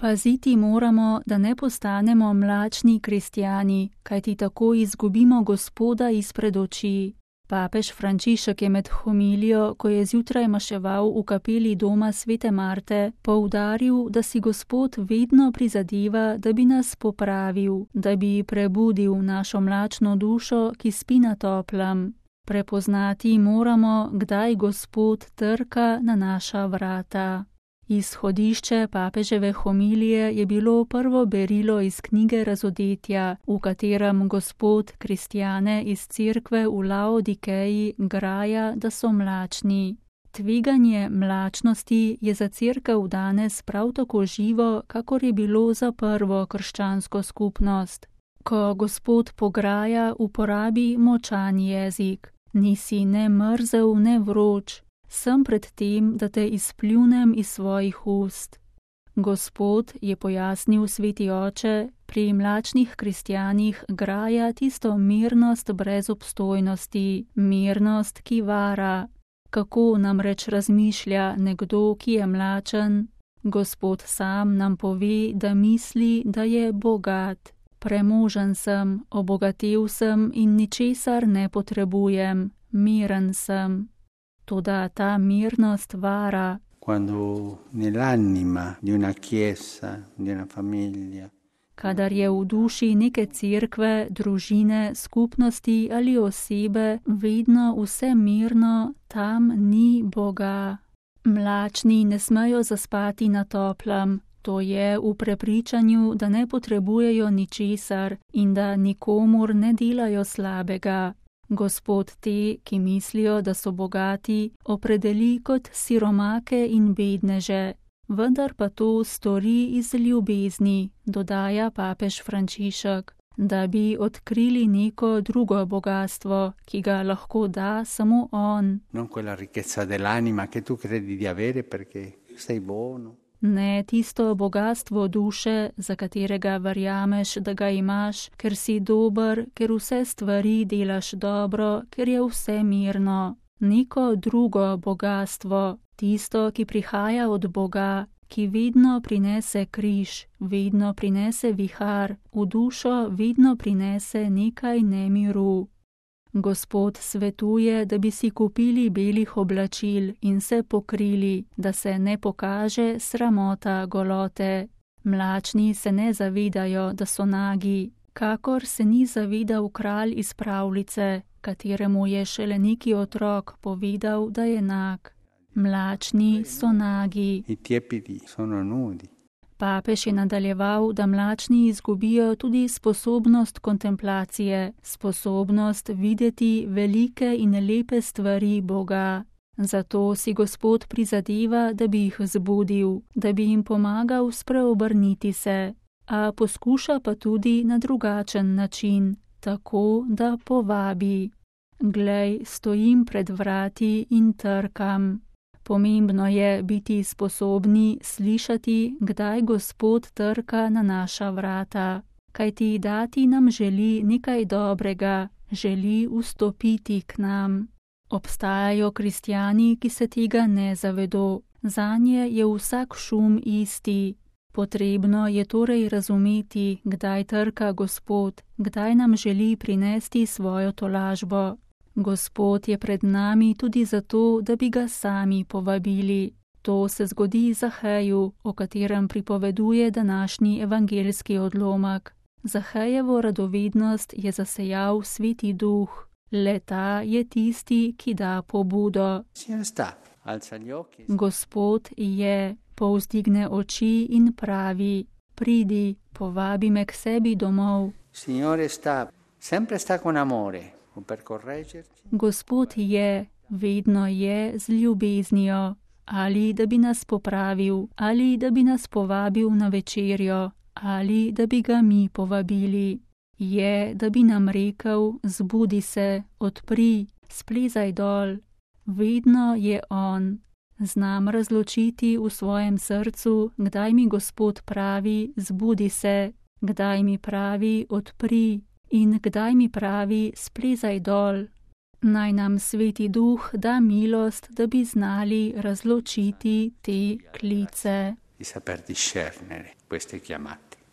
Paziti moramo, da ne postanemo mlačni kristjani, kajti tako izgubimo Gospoda izpred oči. Papež Frančišek je med homilijo, ko je zjutraj maševal v kapeli doma svete Marte, poudaril, da si Gospod vedno prizadeva, da bi nas popravil, da bi prebudil našo mlačno dušo, ki spi na toplem. Prepoznati moramo, kdaj Gospod trka na naša vrata. Izhodišče papeževe homilije je bilo prvo berilo iz knjige Razodetja, v katerem Gospod kristjane iz cerkve v Laodikeji graja, da so mlačni. Tveganje mlačnosti je za cerkev danes prav tako živo, kakor je bilo za prvo krščansko skupnost. Ko Gospod pograja, uporabi močan jezik. Nisi ne mrzel, ne vroč. Sem pred tem, da te izpljunem iz svojih ust. Gospod, je pojasnil sveti oče, pri mlačnih kristjanih graja tisto mirnost brez obstojnosti, mirnost, ki vara. Kako namreč razmišlja nekdo, ki je mlačen? Gospod sam nam pove, da misli, da je bogat. Premožen sem, obogatel sem in ničesar ne potrebujem, miren sem. Toda ta mirnost vara. Quando nell'anima di una chiesa, di una famiglia. Kadar je v duši neke cerkve, družine, skupnosti ali osebe vedno vse mirno, tam ni Boga. Mlačni ne smejo zaspati na toplem, to je v prepričanju, da ne potrebujejo ničesar in da nikomur ne delajo slabega. Gospod te, ki mislijo, da so bogati, opredeli kot siromake in bedneže, vendar pa to stori iz ljubezni, dodaja papež Frančišek, da bi odkrili neko drugo bogastvo, ki ga lahko da samo on. Non quella ricchezza dell'anima che tu credi di avere perché sei buono. Ne tisto bogastvo duše, za katerega verjameš, da ga imaš, ker si dober, ker vse stvari delaš dobro, ker je vse mirno. Neko drugo bogastvo, tisto, ki prihaja od Boga, ki vedno prinese križ, vedno prinese vihar, v dušo vedno prinese nekaj nemiru. Gospod svetuje, da bi si kupili belih oblačil in se pokrili, da se ne pokaže sramota golote. Mlačni se ne zavedajo, da so nagi, kakor se ni zavedal kralj iz pravljice, kateremu je šele neki otrok povedal, da je nag. Mlačni so nagi. I tiepidi sono nudi. Papež je nadaljeval, da mlačni izgubijo tudi sposobnost kontemplacije, sposobnost videti velike in lepe stvari Boga. Zato si Gospod prizadeva, da bi jih zbudil, da bi jim pomagal spreobrniti se, a poskuša pa tudi na drugačen način, tako da povabi. Glej, stojim pred vrati in trkam. Pomembno je biti sposobni slišati, kdaj Gospod trka na naša vrata, kajti dati nam želi nekaj dobrega, želi vstopiti k nam. Obstajajo kristjani, ki se tega ne zavedo, zanje je vsak šum isti. Potrebno je torej razumeti, kdaj trka Gospod, kdaj nam želi prinesti svojo tolažbo. Gospod je pred nami tudi zato, da bi ga sami povabili. To se zgodi Zaheju, o katerem pripoveduje današnji evangeljski odlomek. Zahejevo radovednost je zasejal Sveti Duh. Le ta je tisti, ki da pobudo. Gospod je, povzdigne oči in pravi: pridi, povabi me k sebi domov. Gospod je, vedno je z ljubeznijo, ali da bi nas popravil, ali da bi nas povabil na večerjo, ali da bi ga mi povabili. Je, da bi nam rekel: zbudi se, odpri, splezaj dol. Vedno je on. Znam razločiti v svojem srcu, kdaj mi Gospod pravi: zbudi se, kdaj mi pravi: odpri, in kdaj mi pravi: splezaj dol. Naj nam Sveti Duh da milost, da bi znali razločiti te klice. di saper discernere queste chiamate.